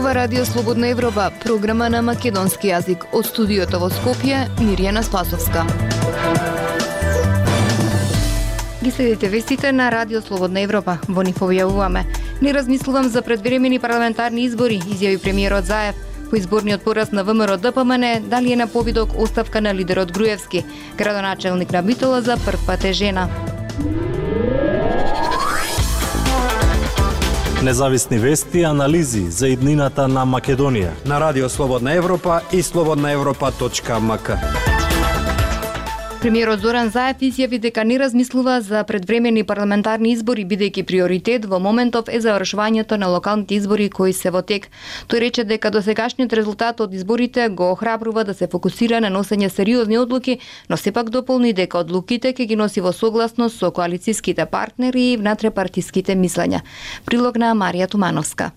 Ова Радио Слободна Европа, програма на македонски јазик. Од студиото во Скопје, Мирјана Спасовска. Ги следите вестите на Радио Слободна Европа. Во нив објавуваме: не размислувам за предвремени парламентарни избори, изјави премиерот Заев. По изборниот пораз на ВМРО ДПМН, дали е на повидок оставка на лидерот Груевски. Градоначелник на Битола за прв пат е жена. Независни вести и анализи за иднината на Македонија на Радио Слободна Европа и slobodnaevropa.mk. Премиерот Зоран Заев изјави дека не размислува за предвремени парламентарни избори, бидејќи приоритет во моментов е завршувањето на локалните избори кои се во тек. Тој рече дека досегашниот резултат од изборите го охрабрува да се фокусира на носење сериозни одлуки, но сепак дополни дека одлуките ќе ги носи во согласност со коалицијските партнери и внатре-партиските мислења. Прилог на Марија Тумановска.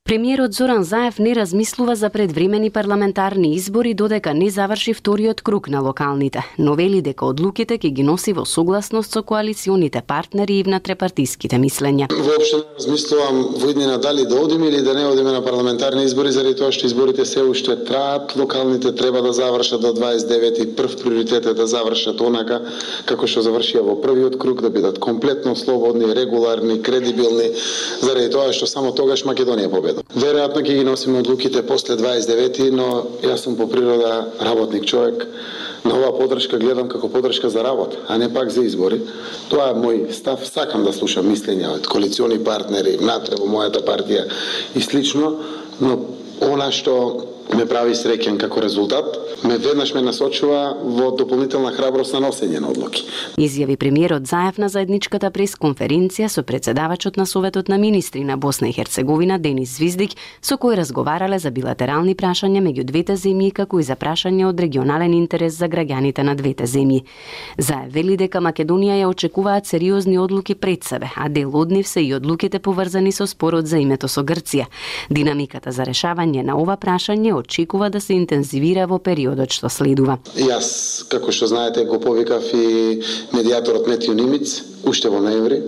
Премиерот Зоран Заев не размислува за предвремени парламентарни избори додека не заврши вториот круг на локалните, но вели дека одлуките ќе ги носи во согласност со коалиционите партнери и внатрепартиските мислења. Воопшто не размислувам во иднина дали да одиме или да не одиме на парламентарни избори, заради тоа што изборите се уште траат, локалните треба да завршат до 29 и прв приоритет е да завршат онака како што завршија во првиот круг, да бидат комплетно слободни, регуларни, кредибилни, заради тоа што само тогаш Македонија победи. Веројатно ќе ги носиме одлуките после 29, но јас сум по природа работник човек. На оваа подршка гледам како подршка за работа, а не пак за избори. Тоа е мој став, сакам да слушам мислења од коалициони партнери, внатре во мојата партија и слично, но она што ме прави среќен како резултат, веднаш ме насочува во дополнителна храброст на носење на одлуки. Изјави премиерот Заев на заедничката пресконференција со председавачот на Советот на министри на Босна и Херцеговина Денис Звиздик, со кој разговарале за билатерални прашања меѓу двете земји, како и за прашања од регионален интерес за граѓаните на двете земји. Заев вели дека Македонија ја очекуваат сериозни одлуки пред себе, а дел од нив се и одлуките поврзани со спорот за името со Грција. Динамиката за решавање на ова прашање очекува да се интензивира во периодот што следува. Јас, како што знаете, го повикав и медијаторот Метју Нимиц уште во ноември,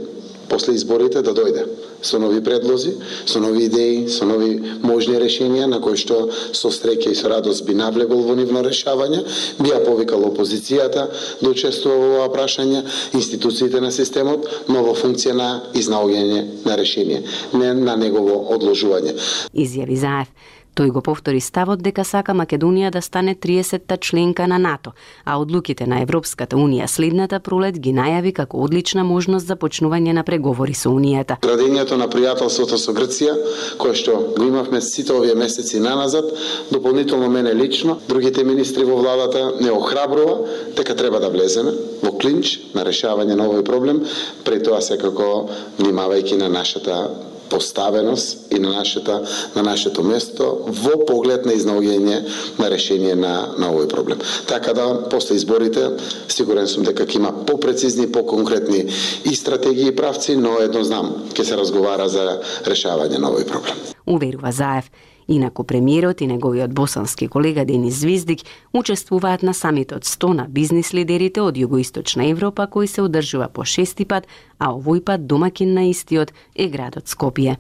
после изборите, да дојде со нови предлози, со нови идеи, со нови можни решенија на кои што со среќа и со радост би навлегол во нивно решавање, би ја повикал опозицијата да учествува во ова прашање, институциите на системот, но во функција на изнаоѓање на решение, не на негово одложување. Изјави Заев. Тој го повтори ставот дека сака Македонија да стане 30-та членка на НАТО, а одлуките на Европската Унија следната пролет ги најави како одлична можност за почнување на преговори со Унијата. Градењето на пријателството со Грција, кое што го имавме сите овие месеци наназад, дополнително мене лично, другите министри во владата не охрабрува дека треба да влеземе во клинч на решавање на овој проблем, пред тоа секако внимавајќи на нашата поставеност и на нашето место во поглед на изнаоѓање на решение на овој проблем. Така да, после изборите, сигурен сум дека ќе има попрецизни, поконкретни и стратегии и правци, но едно знам, ќе се разговара за решавање на овој проблем. Уверува Заев. Инаку премиерот и неговиот босански колега Денис Звиздик учествуваат на самитот 100 на бизнис лидерите од Југоисточна Европа, кој се одржува по 6-ти пат, а овој пат домакин на истиот е градот Скопје.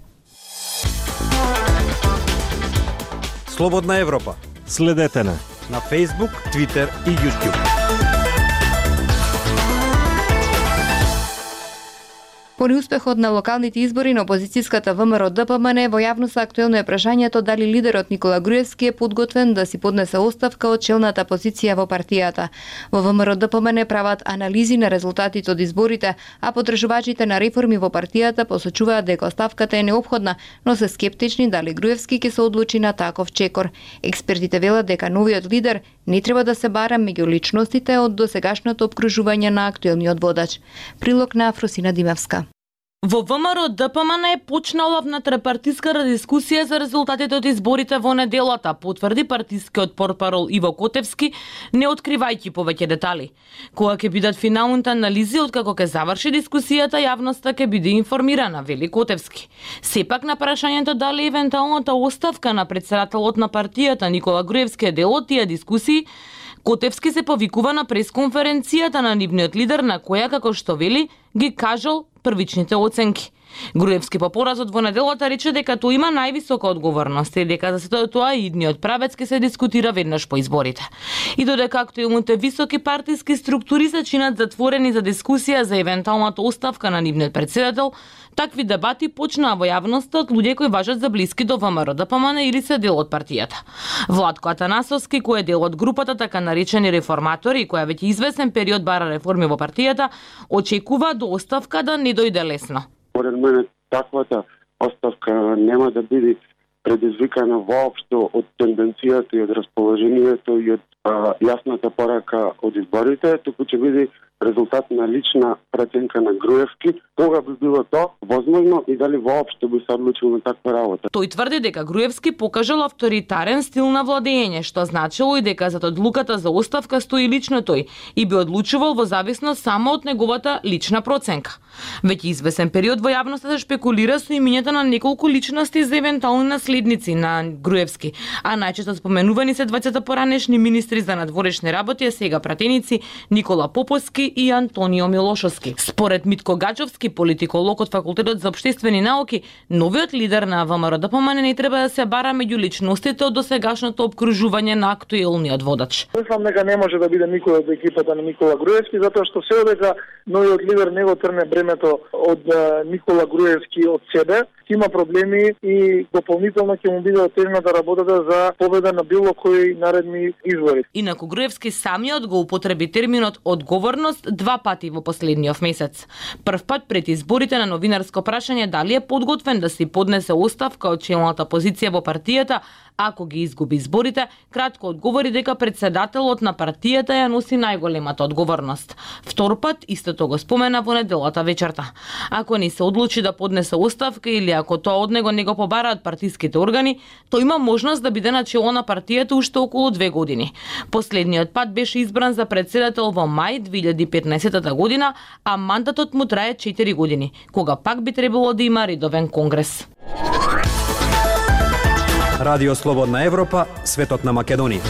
Слободна Европа. Следете на Facebook, Twitter и YouTube. По неуспехот на локалните избори на опозицијската ВМРО ДПМН, во јавност актуелно е прашањето дали лидерот Никола Груевски е подготвен да си поднесе оставка од челната позиција во партијата. Во ВМРО ДПМН прават анализи на резултатите од изборите, а поддржувачите на реформи во партијата посочуваат дека оставката е неопходна, но се скептични дали Груевски ќе се одлучи на таков чекор. Експертите велат дека новиот лидер не треба да се бара меѓу личностите од досегашното опкружување на актуелниот водач. Прилог на Афросина Димевска. Во ВМРО ДПМН е почнала внатрепартиска дискусија за резултатите од изборите во неделата, потврди партискиот портпарол Иво Котевски, не откривајќи повеќе детали. Кога ќе бидат финалните анализи откако ќе заврши дискусијата, јавноста ќе биде информирана, вели Котевски. Сепак на прашањето дали евентуалната оставка на претседателот на партијата Никола Груевски е дел од тие дискусии, Котевски се повикува на пресконференцијата на нивниот лидер, на која, како што вели, ги кажал првичните оценки. Груевски по поразот во неделата рече дека тој има највисока одговорност и дека за сето тоа и идниот правец ќе се дискутира веднаш по изборите. И додека актуелните високи партиски структури се чинат затворени за дискусија за евентуалната оставка на нивниот председател, такви дебати почнаа во јавноста од луѓе кои важат за блиски до ВМРО-ДПМН или се дел од партијата. Владко Атанасовски, кој е дел од групата така наречени реформатори, која веќе извесен период бара реформи во партијата, очекува до оставка да не дојде лесно. Поред мене таквата оставка нема да биде предизвикана воопшто од тенденцијата и од расположението и од јасната порака од изборите, туку ќе биде резултат на лична преценка на Груевски, кога би било тоа возможно и дали воопшто би се одлучил на таква работа. Тој тврди дека Груевски покажал авторитарен стил на владење, што значило и дека зад одлуката за оставка стои лично тој и би одлучувал во зависност само од неговата лична проценка. Веќе извесен период во јавноста се шпекулира со имињата на неколку личности за евентуални наследници на Груевски, а најчесто споменувани се двајцата поранешни министри за надворешни работи, а сега пратеници Никола Поповски и Антонио Милошовски. Според Митко Гачовски, политиколог од Факултетот за општествени науки, новиот лидер на ВМРО-ДПМН не треба да се бара меѓу личностите од досегашното обкружување на актуелниот водач. Мислам дека не може да биде никој од екипата на Никола Груевски, затоа што се одека новиот лидер не го трне бремето од Никола Груевски од себе. Има проблеми и дополнително ќе му биде отежната работата за победа на било кои наредни избори. Инаку Груевски самиот го употреби терминот одговорност два пати во последниот месец. Прв пат пред изборите на новинарско прашање дали е подготвен да си поднесе оставка од челната позиција во партијата ако ги изгуби изборите, кратко одговори дека председателот на партијата ја носи најголемата одговорност. Втор пат истото го спомена во неделата вечерта. Ако не се одлучи да поднесе оставка или ако тоа од него не го побараат партиските органи, тој има можност да биде на чело на партијата уште околу 2 години. Последниот пат беше избран за председател во мај 2015 година, а мандатот му трае 4 години, кога пак би требало да има редовен конгрес. Радио Слободна Европа, светот на Македонија.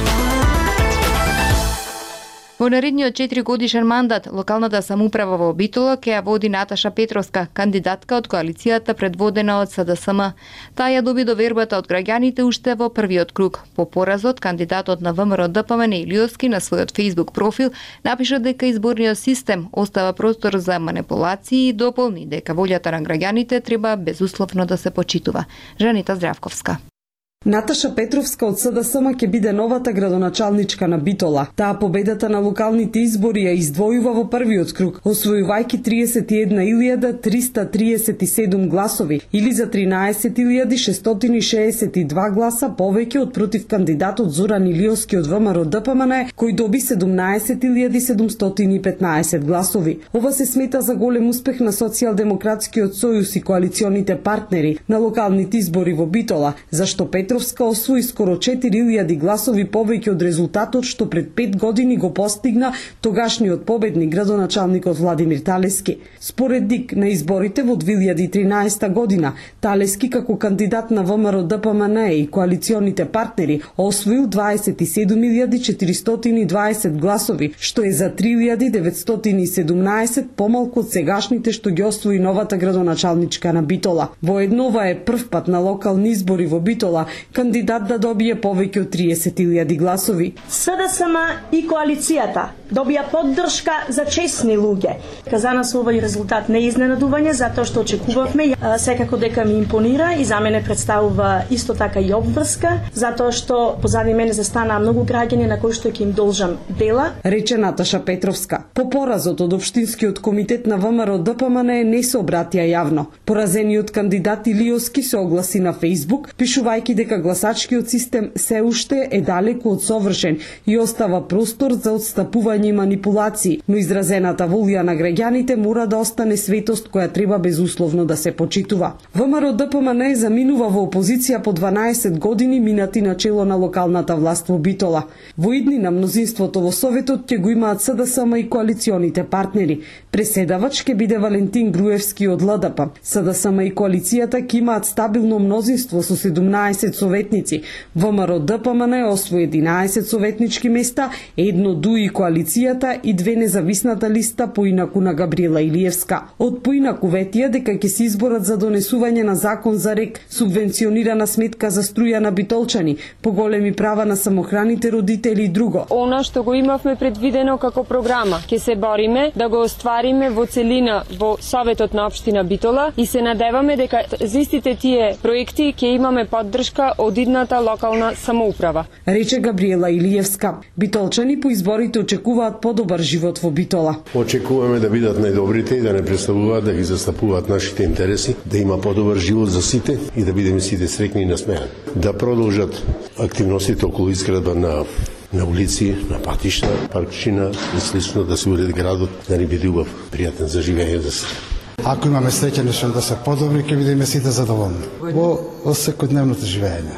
Во наредниот 4 годишен мандат, локалната самоуправа во Битола ќе ја води Наташа Петровска, кандидатка од коалицијата предводена од СДСМ. Таа ја доби довербата од граѓаните уште во првиот круг. По поразот, кандидатот на ВМРО-ДПМН Илиовски на својот Facebook профил напиша дека изборниот систем остава простор за манипулации и дополни дека волјата на граѓаните треба безусловно да се почитува. Жанита Здравковска. Наташа Петровска од СДСМ ќе биде новата градоначалничка на Битола. Таа победата на локалните избори ја издвојува во првиот круг, освојувајќи 31.337 гласови или за 13.662 гласа повеќе од против кандидатот Зоран Илиовски од ВМРО-ДПМН, кој доби 17.715 гласови. Ова се смета за голем успех на Социјалдемократскиот сојуз и коалиционите партнери на локалните избори во Битола, зашто Петровска освои скоро 4000 гласови повеќе од резултатот што пред 5 години го постигна тогашниот победник градоначалникот Владимир Талески. Според ДИК на изборите во 2013 година, Талески како кандидат на ВМРО-ДПМН и коалиционите партнери освоил 27.420 гласови, што е за 3.917 помалку од сегашните што ги освои новата градоначалничка на Битола. Воедно ова е прв пат на локални избори во Битола кандидат да добие повеќе од 30.000 гласови. СДСМ и коалицијата добија поддршка за честни луѓе. За нас овој резултат не е изненадување, затоа што очекувавме, секако дека ми импонира и за мене представува исто така и обврска, затоа што позади мене застанаа многу граѓани на кои што ќе им должам дела. Рече Наташа Петровска. По поразот од Општинскиот комитет на ВМРО-ДПМН не се обратија јавно. Поразениот кандидат Илиовски се огласи на Facebook, пишувајќи дека гласачкиот систем се уште е далеку од совршен и остава простор за отстапување и манипулации, но изразената волја на граѓаните мора да остане светост која треба безусловно да се почитува. ВМРО-ДПМН заминува во опозиција по 12 години минати на чело на локалната власт во Битола. Во иднина мнозинството во Советот ќе го имаат СДСМ и коалиционите партнери. Преседавач ќе биде Валентин Груевски од ЛДП. СДСМ и коалицијата ќе имаат стабилно мнозинство со 17 советници. ВМРО-ДПМН освои 11 советнички места, едно ДУИ коалицијата опозицијата и 2 независната листа поинаку на Габриела Илиевска. Од поинаку ветија дека ќе се изборат за донесување на закон за РЕК, субвенционирана сметка за струја на битолчани, поголеми права на самохраните родители и друго. Она што го имавме предвидено како програма, ќе се бориме да го оствариме во целина во Советот на општина Битола и се надеваме дека за истите тие проекти ќе имаме поддршка од идната локална самоуправа. Рече Габриела Илиевска. Битолчани по изборите очекуваат подобар живот во Битола. Очекуваме да бидат најдобрите и да не представуваат да ги застапуваат нашите интереси, да има подобар живот за сите и да бидеме сите среќни и насмеани. Да продолжат активностите околу изградба на улици, на патишта, паркчина и слично, да се уреди градот, да ни биде убав, пријатен за живење за сите. Ако имаме среќа нешто да се подобри, ќе бидеме сите задоволни. Во секојдневното живење,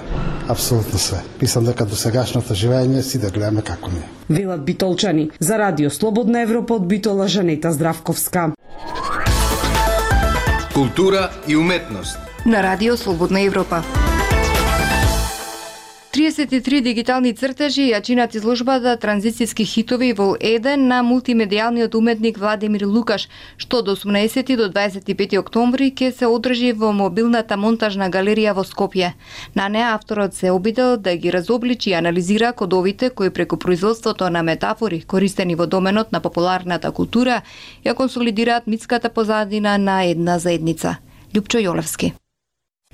апсолутно све. Мислам дека до сегашното живење си да гледаме како не. Велат битолчани. За Радио Слободна Европа од Битола, Жанета Здравковска. Култура и уметност. На Радио Слободна Европа. 33 дигитални цртежи ја чинат изложбата Транзицијски хитови во Еден на мултимедијалниот уметник Владимир Лукаш, што од 18 до 25 октомври ќе се одржи во мобилната монтажна галерија во Скопје. На неа авторот се обидел да ги разобличи и анализира кодовите кои преку производството на метафори, користени во доменот на популарната култура, ја консолидираат митската позадина на една заедница. Љупчо Јолевски.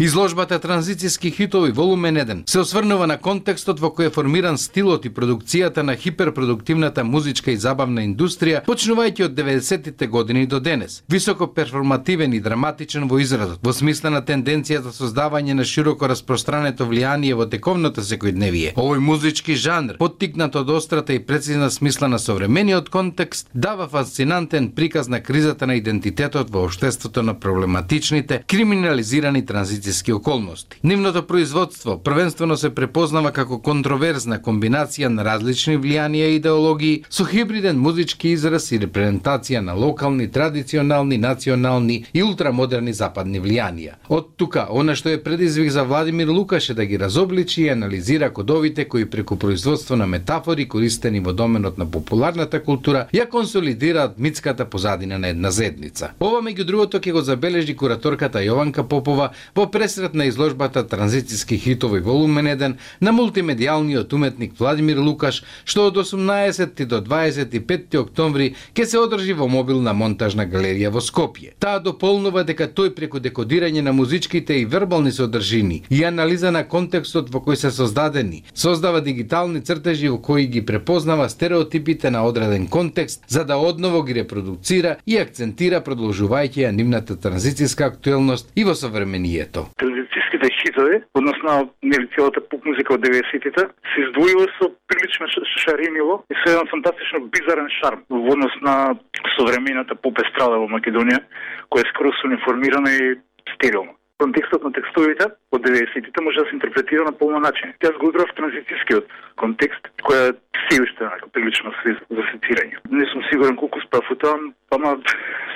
Изложбата Транзицијски хитови волумен 1 се осврнува на контекстот во кој е формиран стилот и продукцијата на хиперпродуктивната музичка и забавна индустрија, почнувајќи од 90-тите години до денес. Високо перформативен и драматичен во изразот, во смисла на тенденција за создавање на широко распространето влијание во тековното секојдневие. Овој музички жанр, поттикнат од острата и прецизна смисла на современиот контекст, дава фасцинантен приказ на кризата на идентитетот во општеството на проблематичните, криминализирани транзицијски околности. Нивното производство првенствено се препознава како контроверзна комбинација на различни влијанија и идеологии со хибриден музички израз и репрезентација на локални, традиционални, национални и ултрамодерни западни влијанија. Од тука, она што е предизвик за Владимир Лукаш е да ги разобличи и анализира кодовите кои преку производство на метафори користени во доменот на популарната култура ја консолидираат митската позадина на една заедница. Ова меѓу другото ќе го забележи кураторката Јованка Попова во пресрет на изложбата Транзицијски хитови волумен 1 на мултимедијалниот уметник Владимир Лукаш, што од 18 до 25 октомври ќе се одржи во мобилна монтажна галерија во Скопје. Таа дополнува дека тој преку декодирање на музичките и вербални содржини и анализа на контекстот во кој се создадени, создава дигитални цртежи во кои ги препознава стереотипите на одреден контекст, за да одново ги репродуцира и акцентира продолжувајќи ја нивната транзицијска актуелност и во современието. Транзицијските хитови, односно целата поп музика од 90-тите, се издвојува со прилично шарениво и со еден фантастично бизарен шарм во однос на современата поп естрада во Македонија, која е скроз униформирана и стерилна. Контекстот на текстовите од 90-тите може да се интерпретира на полно начин. Тя го игра в транзицијскиот контекст, која се уште прилично за сецирање. Не сум сигурен колку справ у тоа, ама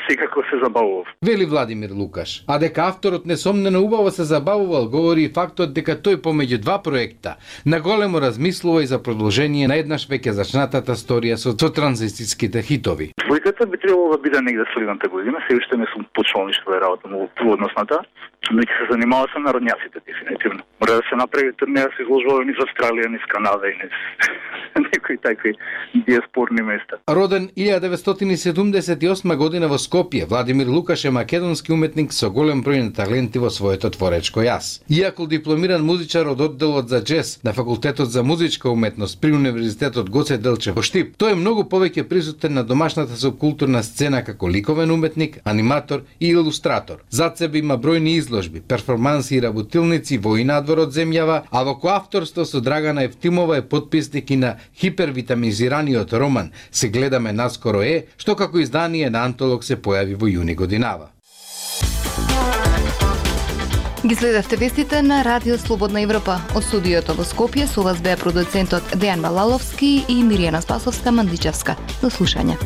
секако се забавував. Вели Владимир Лукаш. А дека авторот несомнено убаво се забавувал, говори и фактот дека тој помеѓу два проекта наголемо размислува и за продолжение на еднаш веќе зачнатата сторија со транзицијските хитови. Двојката би требало да биде негде следната година, се уште не сум почнал ништо да работам во однос на тоа, но ќе се занимава со народњаците дефинитивно. Мора да се направи турнеја со изложбови низ Австралија, низ Канада и низ некои такви диаспорни места. Роден 1978 година во Скопје, Владимир Лукаш е македонски уметник со голем број на таленти во своето творечко јас. Иако дипломиран музичар од одделот за џез на факултетот за музичка уметност при Универзитетот Гоце Делчев во Штип, тој е многу повеќе присутен на домашната субкултурна сцена како ликовен уметник, аниматор и илустратор. Зад себе има бројни изложби, перформанси и работилници во и надвор од земјава, а во коавторство со Драгана Евтимова е потписник и на хипервитамизираниот роман Се гледаме наскоро е, што како издание на Антолог се појави во јуни годинава. Ги следевте вестите на Радио Слободна Европа. Од студиото во Скопје со вас беа продуцентот Дејан Малаловски и Миријана Спасовска-Мандличевска. До слушање.